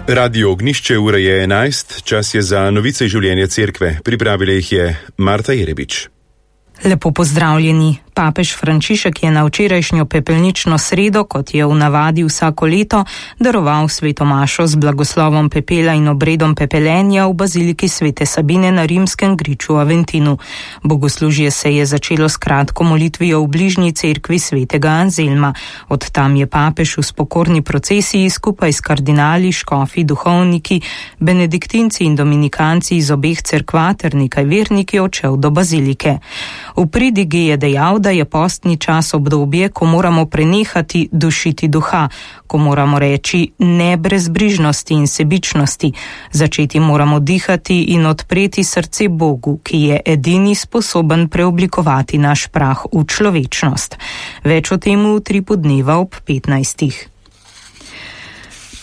Radio Ognišče, ura je 11, čas je za novice življenja cerkve. Pripravila jih je Marta Jerebič. Lepo pozdravljeni. Papež Frančišek je na včerajšnjo pepelnično sredo, kot je v navadi vsako leto, daroval sveto mašo z blagoslovom pepela in obredom pepelenja v baziliki Svete Sabine na rimskem griču Aventinu. Bogoslužje se je začelo s kratko molitvijo v bližnji cerkvi svetega Anzelma. Od tam je papež v spokorni procesiji skupaj s kardinali, škofi, duhovniki, benediktinci in dominikanci iz obeh cerkva ter nekaj verniki odšel do bazilike. V pridigi je dejal, da je postni čas obdobje, ko moramo prenehati dušiti duha, ko moramo reči ne brezbrižnosti in sebičnosti, začeti moramo dihati in odpreti srce Bogu, ki je edini sposoben preoblikovati naš prah v človečnost. Več o tem v Utripu dneva ob 15.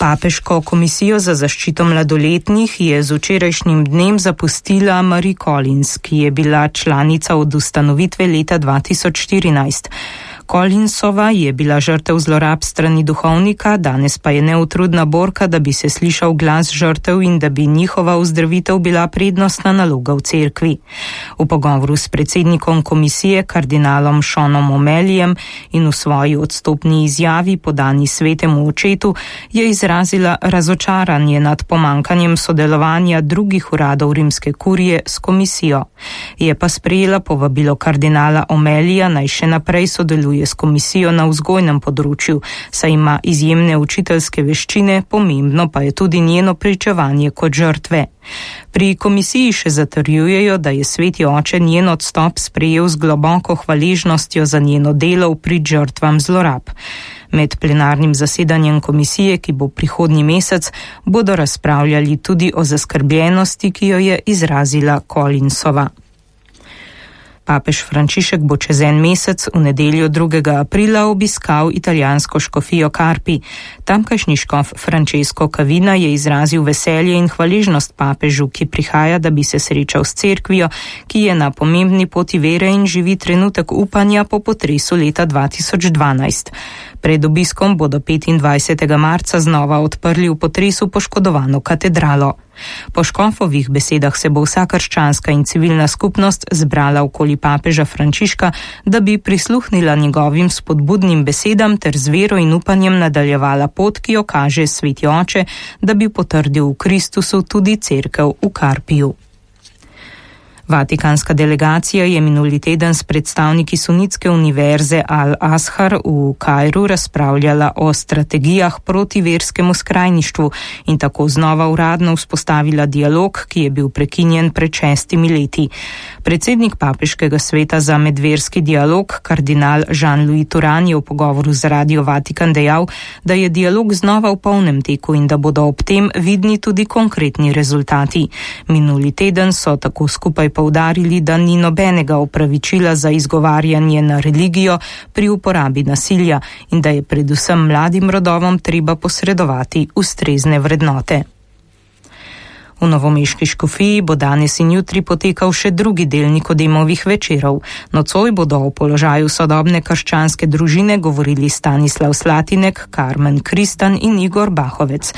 Papeško komisijo za zaščito mladoletnih je z včerajšnjim dnem zapustila Marie Collins, ki je bila članica od ustanovitve leta 2014. Collinsova je bila žrtev zlorab strani duhovnika, danes pa je neutrudna borka, da bi se slišal glas žrtev in da bi njihova ozdravitev bila prednostna naloga v cerkvi. V pogovoru s predsednikom komisije, kardinalom Seanom O'Malleyjem, in v svoji odstopni izjavi podani svetemu očetu je izrazila razočaranje nad pomankanjem sodelovanja drugih uradov rimske kurije s komisijo. Je pa sprejela povabilo kardinala O'Malleyja, naj še naprej sodeluje s komisijo na vzgojnem področju, saj ima izjemne učiteljske veščine, pomembno pa je tudi njeno pričevanje kot žrtve. Pri komisiji še zatrjujejo, da je sveti oče njen odstop sprejel z globoko hvaležnostjo za njeno delo v prid žrtvam zlorab. Med plenarnim zasedanjem komisije, ki bo prihodnji mesec, bodo razpravljali tudi o zaskrbljenosti, ki jo je izrazila Collinsova. Papež Frančišek bo čez en mesec v nedeljo 2. aprila obiskal italijansko škofijo Carpi. Tamkajšnji škof Francesco Cavina je izrazil veselje in hvaležnost papežu, ki prihaja, da bi se srečal s cerkvijo, ki je na pomembni poti vere in živi trenutek upanja po potresu leta 2012. Pred obiskom bodo 25. marca znova odprli v potresu poškodovano katedralo. Po škofovih besedah se bo vsa krščanska in civilna skupnost zbrala okoli papeža Frančiška, da bi prisluhnila njegovim spodbudnim besedam ter z vero in upanjem nadaljevala pot, ki jo kaže sveti oče, da bi potrdil v Kristusu tudi cerkev v Carpiju. Vatikanska delegacija je minuli teden s predstavniki sunitske univerze Al-Azhar v Kairu razpravljala o strategijah proti verskemu skrajništvu in tako znova uradno vzpostavila dialog, ki je bil prekinjen pred 6 leti. Predsednik papeškega sveta za medverski dialog, kardinal Jean-Louis Turan, je v pogovoru z Radio Vatikan dejal, da je dialog znova v polnem teku in da bodo ob tem vidni tudi konkretni rezultati. Minuli teden so tako skupaj poudarili, da ni nobenega opravičila za izgovarjanje na religijo pri uporabi nasilja in da je predvsem mladim rodovom treba posredovati ustrezne vrednote. V novomeški škofiji bo danes in jutri potekal še drugi del Nikodemovih večerov. Nocoj bodo o položaju sodobne krščanske družine govorili Stanislav Slatinek, Carmen Kristan in Igor Bahovec.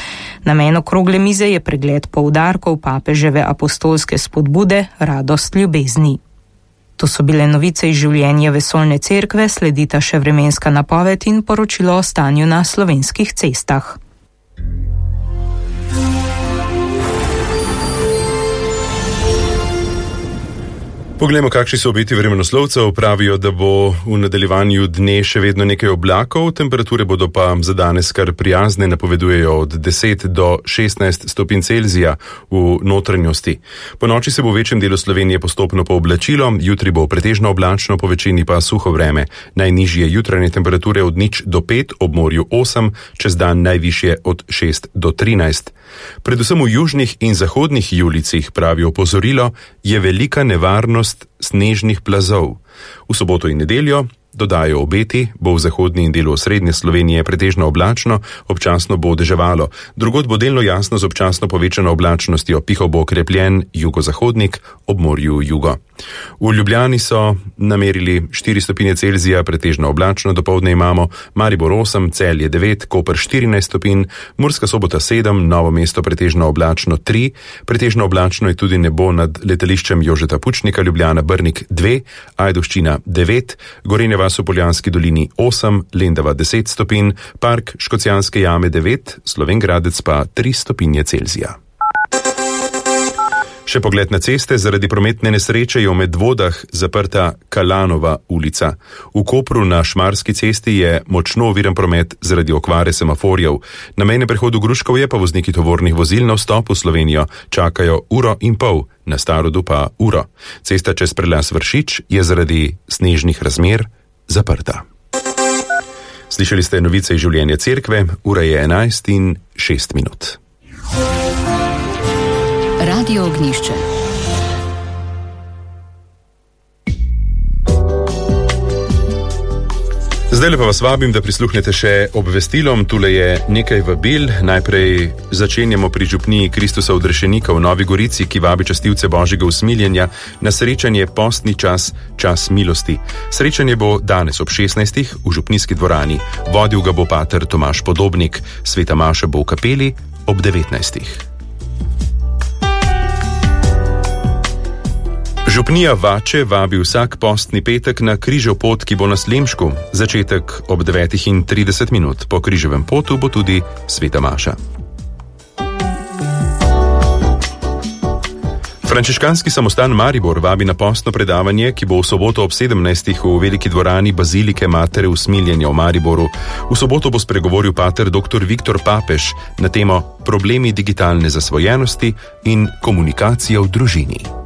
Namen okrogle mize je pregled poudarkov papeževe apostolske spodbude Radost ljubezni. To so bile novice iz življenja vesoljne cerkve, sledita še vremenska napoved in poročilo o stanju na slovenskih cestah. Poglejmo, kakšni so obeti vremenoslovcev. Pravijo, da bo v nadaljevanju dne še vedno nekaj oblakov, temperature bodo pa za danes kar prijazne, napovedujejo od 10 do 16 stopinj Celzija v notranjosti. Po noči se bo v večjem delu Slovenije postopno pooblačilo, jutri bo pretežno oblačno, po večini pa suho vreme. Najnižje jutranje temperature od 0 do 5, ob morju 8, čez dan najvišje od 6 do 13. Predvsem v južnih in zahodnih julicih, pravi opozorilo, je velika nevarnost snežnih plazov. V soboto in nedeljo dodajo obeti, bo v zahodni in delu osrednje Slovenije pretežno oblačno, občasno bo deževalo. Drugod bo delno jasno z občasno povečano oblačnostjo, pihal bo okrepljen jugozahodnik, ob morju jugo. V Ljubljani so namerili 4 stopinje Celzija, pretežno oblačno, dopoldne imamo Maribor 8, Celje 9, Koper 14 stopinj, Murska Sobota 7, Novo mesto pretežno oblačno 3, pretežno oblačno je tudi nebo nad letališčem Jožeta Pučnika, Ljubljana Brnik 2, Ajdovščina 9, Gorenja vas v Poljanski dolini 8, Lendava 10 stopinj, Park Škocjanske jame 9, Slovenj Gradec pa 3 stopinje Celzija. Še pogled na ceste, zaradi prometne nesreče je v Medvodah zaprta Kalanova ulica. V Kopru na Šmarski cesti je močno oviran promet zaradi okvare semaforjev. Na mejnem prehodu Gruškovje pa vozniki tovornih vozil na vstop v Slovenijo čakajo 1,5 ure, na Starodu pa uro. Cesta čez prelaz Vršič je zaradi snežnih razmer zaprta. Slišali ste novice iz življenja cerkve, ura je 11:06. Radio Ognjišče. Zdaj pa vas vabim, da prisluhnete še obvestilom. Tule je nekaj vabil. Najprej začenjamo pri župniji Kristusa Odrešenika v Novi Gorici, ki vabi častilce Božjega usmiljenja na srečanje Postni čas, čas milosti. Srečanje bo danes ob 16. v župnijski dvorani. Vodil ga bo pater Tomaž Podobnik. Sveta maša bo v kapeli ob 19. Župnija Vače vabi vsak postni petek na križev pot, ki bo na Slemšku. Začetek ob 9:30. Po križevem potu bo tudi sveta maša. Frančiškanski samostan Maribor vabi na postno predavanje, ki bo v soboto ob 17. v veliki dvorani Bazilike Matere usmiljenja v Mariboru. V soboto bo spregovoril pater dr. Viktor Papež na temo problemi digitalne zasvojenosti in komunikacija v družini.